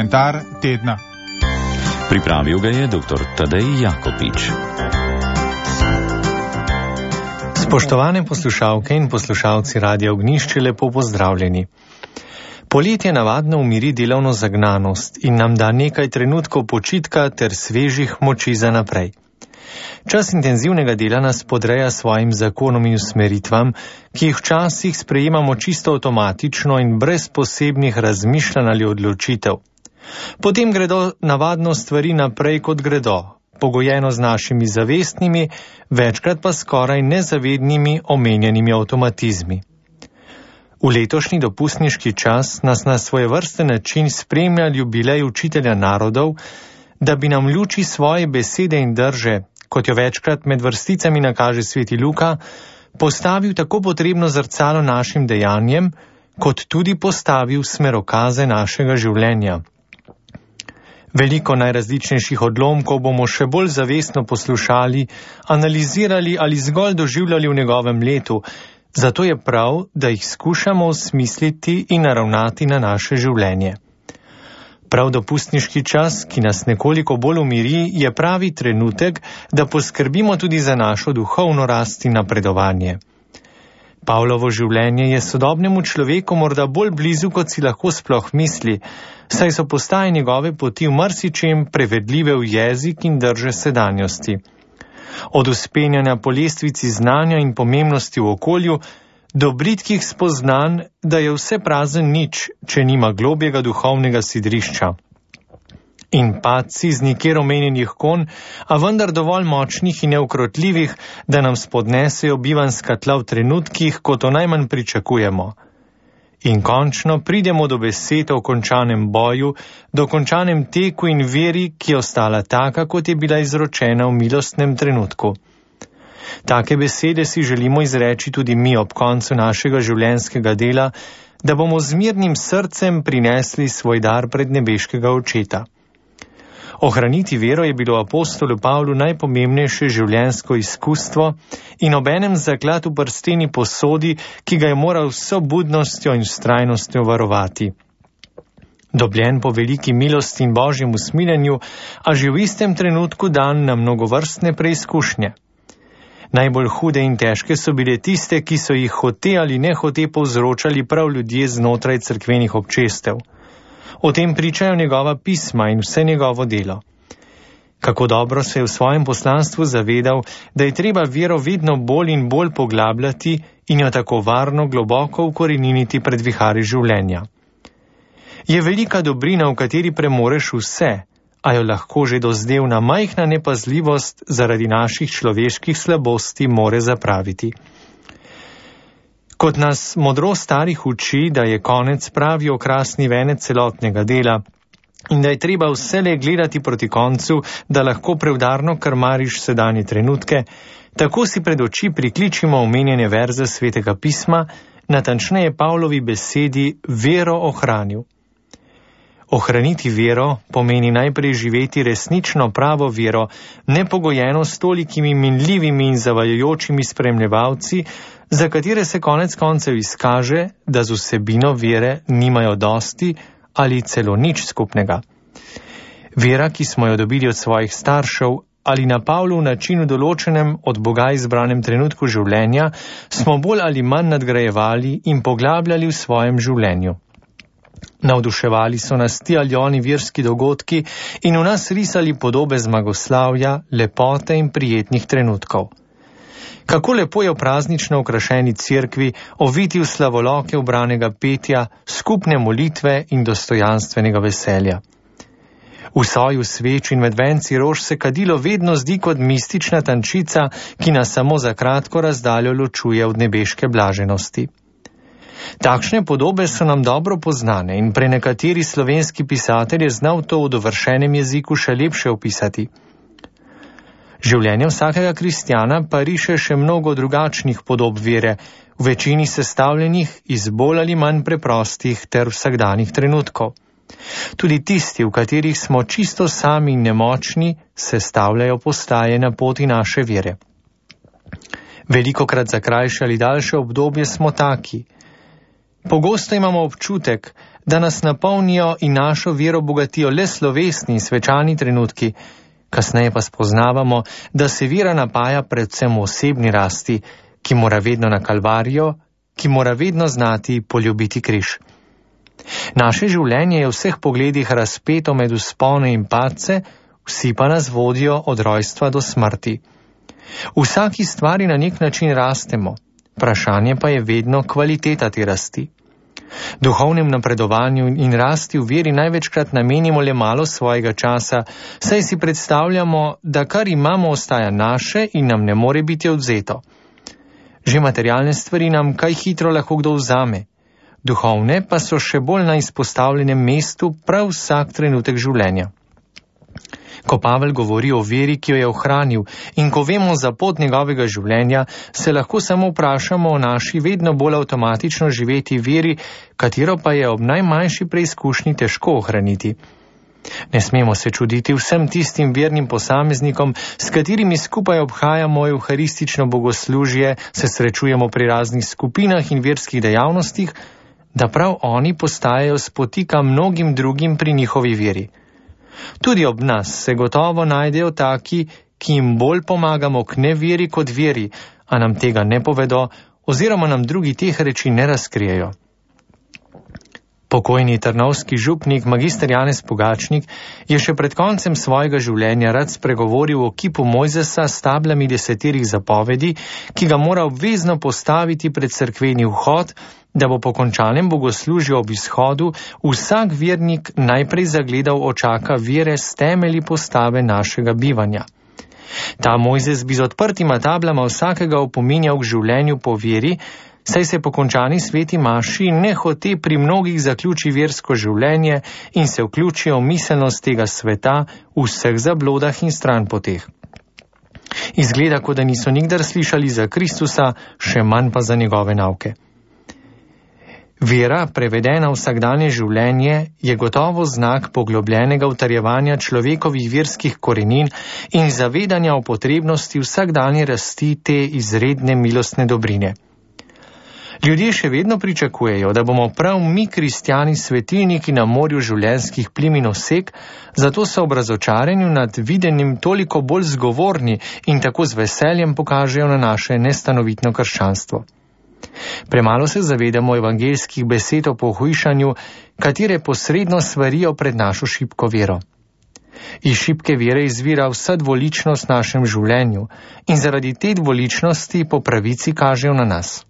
Komentar tedna. Pripravil ga je dr. Tadej Jakopič. Spoštovane poslušalke in poslušalci Radia Ognjišče, lepo pozdravljeni. Poletje navadno umiri delovno zagnanost in nam da nekaj trenutkov počitka ter svežih moči za naprej. Čas intenzivnega dela nas podreja svojim zakonom in usmeritvam, ki jih včasih sprejemamo čisto avtomatično in brez posebnih razmišljanj ali odločitev. Potem gredo navadno stvari naprej, kot gredo, pogojeno z našimi zavestnimi, večkrat pa skoraj nezavednimi omenjenimi avtomatizmi. V letošnji dopustniški čas nas na svojevrsten način spremlja jubilej učitelja narodov, da bi nam v luči svoje besede in drže, kot jo večkrat med vrsticami nakaže sveti Luka, postavil tako potrebno zrcalo našim dejanjem, kot tudi postavil smerokaze našega življenja. Veliko najrazličnejših odlomkov bomo še bolj zavestno poslušali, analizirali ali zgolj doživljali v njegovem letu, zato je prav, da jih skušamo osmisliti in naravnati na naše življenje. Prav dopustniški čas, ki nas nekoliko bolj umiri, je pravi trenutek, da poskrbimo tudi za našo duhovno rast in napredovanje. Pavlovo življenje je sodobnemu človeku morda bolj blizu, kot si lahko sploh misli, saj so postaje njegove poti v marsičem prevedljive v jezik in drže sedanjosti. Od uspenjanja po lestvici znanja in pomembnosti v okolju, do britkih spoznanj, da je vse prazen nič, če nima globjega duhovnega sidrišča. In padci z nikjer omenjenih konj, a vendar dovolj močnih in neukrotljivih, da nam spodnesejo bivanjska tla v trenutkih, ko to najmanj pričakujemo. In končno pridemo do besed o končanem boju, do končanem teku in veri, ki je ostala taka, kot je bila izročena v milostnem trenutku. Take besede si želimo izreči tudi mi ob koncu našega življenjskega dela, da bomo z mirnim srcem prinesli svoj dar pred nebeškega očeta. Ohraniti vero je bilo apostolu Pavlu najpomembnejše življenjsko izkustvo in obenem zaklad v prsteni posodi, ki ga je moral s vso budnostjo in vztrajnostjo varovati. Dobljen po veliki milosti in božjem usmiljenju, a že v istem trenutku dan na mnogovrstne preizkušnje. Najbolj hude in težke so bile tiste, ki so jih hote ali nehote povzročali prav ljudje znotraj cerkvenih občestev. O tem pričajo njegova pisma in vse njegovo delo. Kako dobro se je v svojem poslanstvu zavedal, da je treba vero vedno bolj in bolj poglabljati in jo tako varno globoko ukoreniniti pred vihari življenja. Je velika dobrina, v kateri premoreš vse, a jo lahko že dozdevna majhna nepazljivost zaradi naših človeških slabosti more zapraviti. Kot nas modrost starih uči, da je konec pravi okrasni venec celotnega dela in da je treba vselej gledati proti koncu, da lahko preudarno krmariš sedanje trenutke, tako si pred oči prikličimo omenjene verze svetega pisma, natančneje Pavlovi besedi vero ohranil. Ohraniti vero pomeni najprej živeti resnično pravo vero, nepogojeno s tolikimi minljivimi in zavajajočimi spremljevalci, za katere se konec koncev izkaže, da z vsebino vere nimajo dosti ali celo nič skupnega. Vera, ki smo jo dobili od svojih staršev ali na Pavlov način v določenem od Boga izbranem trenutku življenja, smo bolj ali manj nadgrajevali in poglabljali v svojem življenju. Navduševali so nas ti ali oni verski dogodki in v nas risali podobe zmagoslavja, lepote in prijetnih trenutkov. Kako lepo je v praznično okrašeni cerkvi oviti v slavoloke ubranega petja, skupne molitve in dostojanstvenega veselja. V soju sveč in med venci rož se kadilo vedno zdi kot mistična tančica, ki nas samo za kratko razdaljo ločuje od nebeške blaženosti. Takšne podobe so nam dobro poznane in prenekateri slovenski pisatelj je znal to v dovršenem jeziku še lepše opisati. Življenje vsakega kristjana pa riše še mnogo drugačnih podob vere, v večini sestavljenih iz bolj ali manj preprostih ter vsakdanjih trenutkov. Tudi tisti, v katerih smo čisto sami in nemočni, sestavljajo postaje na poti naše vere. Velikokrat za krajše ali daljše obdobje smo taki. Pogosto imamo občutek, da nas napolnijo in našo vero bogatijo le slovesni, svečani trenutki, kasneje pa spoznavamo, da se vera napaja predvsem v osebni rasti, ki mora vedno na Kalvarijo, ki mora vedno znati poljubiti križ. Naše življenje je v vseh pogledih razpeto med vzpone in padce, vsi pa nas vodijo od rojstva do smrti. V vsaki stvari na nek način rastemo, vprašanje pa je vedno kvaliteta te rasti. Duhovnem napredovanju in rasti v veri največkrat namenimo le malo svojega časa, saj si predstavljamo, da kar imamo ostaja naše in nam ne more biti odvzeto. Že materialne stvari nam kaj hitro lahko kdo vzame, duhovne pa so še bolj na izpostavljenem mestu prav vsak trenutek življenja. Ko Pavel govori o veri, ki jo je ohranil, in ko vemo za pot njegovega življenja, se lahko samo vprašamo o naši vedno bolj avtomatično živeti veri, katero pa je ob najmanjši preizkušnji težko ohraniti. Ne smemo se čuditi vsem tistim vernim posameznikom, s katerimi skupaj obhajamo evharistično bogoslužje, se srečujemo pri raznih skupinah in verskih dejavnostih, da prav oni postajajo spotika mnogim drugim pri njihovi veri. Tudi ob nas se gotovo najdejo taki, ki jim bolj pomagamo k neveri kot veri, a nam tega ne povedo oziroma nam drugi teh reči ne razkrijejo. Pokojni trnovski župnik magister Janez Pogačnik je še pred koncem svojega življenja rad spregovoril o kipu Mojzesa s tablami 10 zapovedi, ki ga mora obvezno postaviti pred cerkveni vhod, da bo po končanem bogoslužju ob izhodu vsak vernik najprej zagledal očaka vere s temelji postave našega bivanja. Ta Mojzes bi z odprtima tablama vsakega opominjal k življenju po veri, saj se po končani sveti maši nehote pri mnogih zaključi versko življenje in se vključijo v miselnost tega sveta v vseh zablodah in stranpoteh. Izgleda, kot da niso nikdar slišali za Kristusa, še manj pa za njegove nauke. Vera, prevedena v vsakdanje življenje, je gotovo znak poglobljenega utrjevanja človekovih verskih korenin in zavedanja o potrebnosti vsakdanje rasti te izredne milostne dobrine. Ljudje še vedno pričakujejo, da bomo prav mi, kristjani, svetilniki na morju življenjskih plim in osek, zato so ob razočaranju nad videnjem toliko bolj zgovorni in tako z veseljem pokažejo na naše nestanovitno krščanstvo. Premalo se zavedamo evangeljskih besed o pohujšanju, katere posredno svarijo pred našo šibko vero. Iz šibke vere izvira vsa dvoličnost v našem življenju in zaradi te dvoličnosti po pravici kažejo na nas.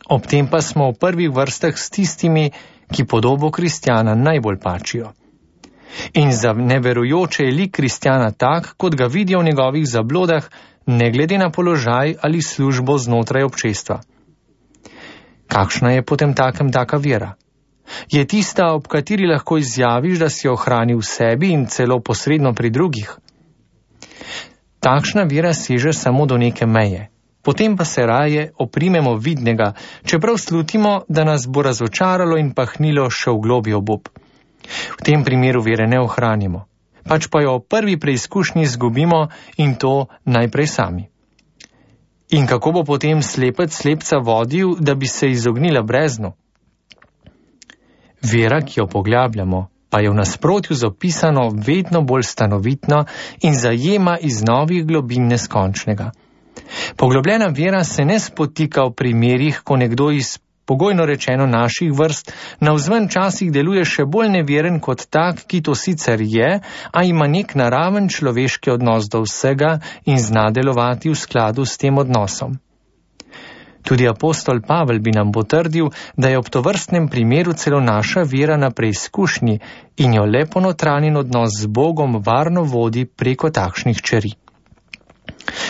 Ob tem pa smo v prvih vrstah s tistimi, ki podobo kristjana najbolj pačijo. In za neverujoče je lik kristjana tak, kot ga vidijo v njegovih zablodah, ne glede na položaj ali službo znotraj občestva. Kakšna je potem takem taka vera? Je tista, ob kateri lahko izjaviš, da si jo ohranil v sebi in celo posredno pri drugih? Takšna vera seže samo do neke meje. Potem pa se raje oprimemo vidnega, čeprav slutimo, da nas bo razočaralo in pahnilo še v globlji obup. V tem primeru vere ne ohranimo, pač pa jo v prvi preizkušnji izgubimo in to najprej sami. In kako bo potem slepec slepca vodil, da bi se izognila breznu? Vera, ki jo poglabljamo, pa je v nasprotju z opisano vedno bolj stanovitno in zajema iz novih globin neskončnega. Poglobljena vera se ne spotika v primerih, ko nekdo iz pogojno rečeno naših vrst navzven časih deluje še bolj neveren kot tak, ki to sicer je, a ima nek naraven človeški odnos do vsega in zna delovati v skladu s tem odnosom. Tudi apostol Pavel bi nam potrdil, da je ob tovrstnem primeru celo naša vera na preizkušnji in jo le ponotranjen odnos z Bogom varno vodi preko takšnih čeri.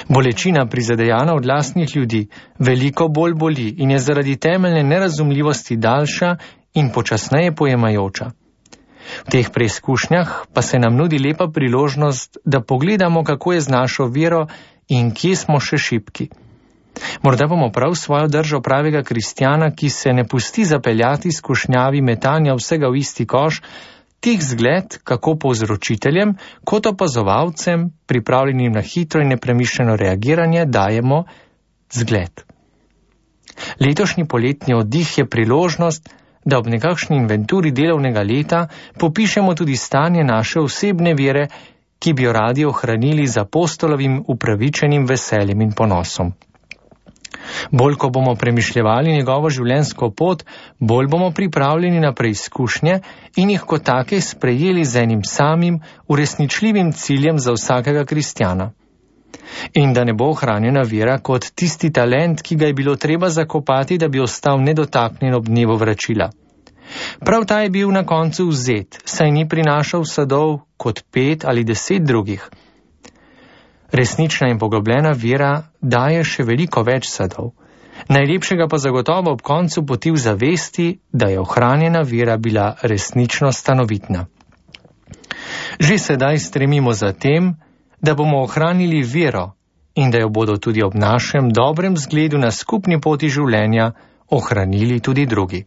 Bolečina prizadejana od lastnih ljudi veliko bolj boli in je zaradi temeljne nerazumljivosti daljša in počasneje pojemajoča. V teh preizkušnjah pa se nam nudi lepa priložnost, da pogledamo, kako je z našo vero in kje smo še šibki. Morda bomo prav svojo držo pravega kristjana, ki se ne pusti zapeljati skušnjavi metanja vsega v isti koš, tih zgled, kako povzročiteljem, kot opazovalcem, pripravljenim na hitro in nepremišljeno reagiranje, dajemo zgled. Letošnji poletni oddih je priložnost, da ob nekakšni inventuri delovnega leta popišemo tudi stanje naše osebne vere, ki bi jo radi ohranili z apostolovim upravičenim veseljem in ponosom. Bolj, ko bomo premišljevali njegovo življenjsko pot, bolj bomo pripravljeni na preizkušnje in jih kot take sprejeli z enim samim, uresničljivim ciljem za vsakega kristjana. In da ne bo ohranjena vera kot tisti talent, ki ga je bilo treba zakopati, da bi ostal nedotaknjen ob dnevu vračila. Prav ta je bil na koncu vzet, saj ni prinašal sadov kot 5 ali 10 drugih. Resnična in poglobljena vera daje še veliko več sadov. Najlepšega pa zagotovo ob koncu poti v zavesti, da je ohranjena vera bila resnično stanovitna. Že sedaj stremimo za tem, da bomo ohranili vero in da jo bodo tudi ob našem dobrem zgledu na skupni poti življenja ohranili tudi drugi.